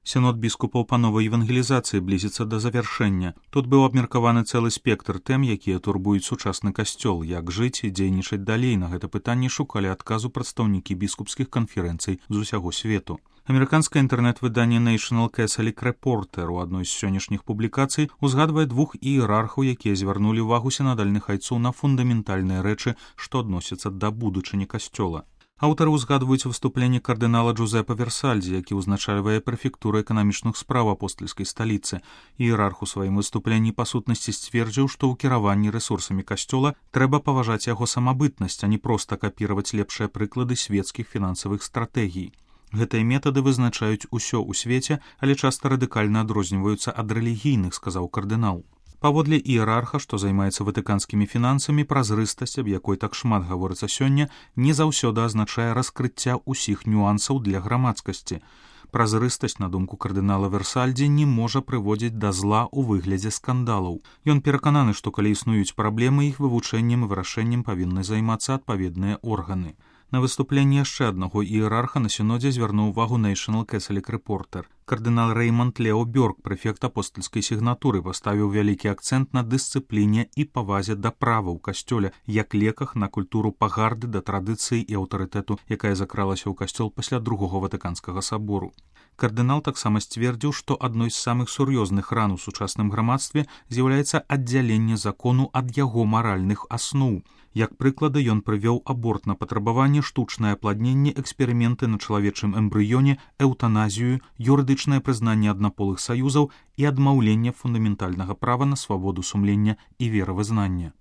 Сінод біскупаў па новай евангелізацыі блізіцца да завяршэння. Тут быў абмеркаваны цэлы спектр тэм, якія турбуюць сучасны касцёл, як жыць і дзейнічаць далей. На гэта пытанне шукалі адказу прадстаўнікі біскупскіх канферэнцый з усяго свету. Амерыканскае інтэрнэт-выданне National Catholic Reporter у адной з сённяшніх публікацый узгадвае двух іерархаў, якія звярнулі ўвагу сінадальных айцоў на фундаментальныя рэчы, што адносяцца да будучыні касцёла. Аўтары ўзгадваюць выступленне кардынала Джузепа Версальдзе, які ўзначальвае прэфектуру эканамічных спраў апостальскай сталіцы. Іерарх у сваім выступленні па сутнасці сцвердзіў, што ў кіраванні рэсурсамі касцёла трэба паважаць яго самабытнасць, а не проста капіраваць лепшыя прыклады свецкіх фінансавых стратэгій. Гэтыя метады вызначаюць усё ў свеце, але часта радыкальна адрозніваюцца ад рэлігійных, сказаў кардынал. Паводле іерарха, што займаецца ватыканскімі фінансамі, празрыстасць, аб якой так шмат гаворыцца сёння, не заўсёды азначае раскрыцця ўсіх нюансаў для грамадскасці. Празрыстасць, на думку кардынала Версальдзе, не можа прыводзіць да зла ў выглядзе скандалаў. Ён перакананы, што калі існуюць праблемы, іх вывучэннем і вырашэннем павінны займацца адпаведныя органы. На выступленне яшчэ аднаго іерарха на сінодзе звярнуў увагу National Catholic Reporter. Кардынал Рэйманд Лео Бёрк, прэфект апостальскай сігнатуры, паставіў вялікі акцэнт на дысцыпліне і павазе да права ў касцёле, як леках на культуру пагарды да традыцыі і аўтарытэту, якая закралася ў касцёл пасля другога ватыканскага сабору. Кардынал таксама сцвердзіў, што адной з самых сур'ёзных ран у сучасным грамадстве з'яўляецца аддзяленне закону ад яго маральных асноў. Як прыклады ён прывёў аборт на патрабаванне, штучнае апладненне, эксперыменты на чалавечым эмбрыёне, эўтаназію, юрыдычнае прызнанне аднаполых саюзаў і адмаўленне фундаментальнага права на свабоду сумлення і веравызнання.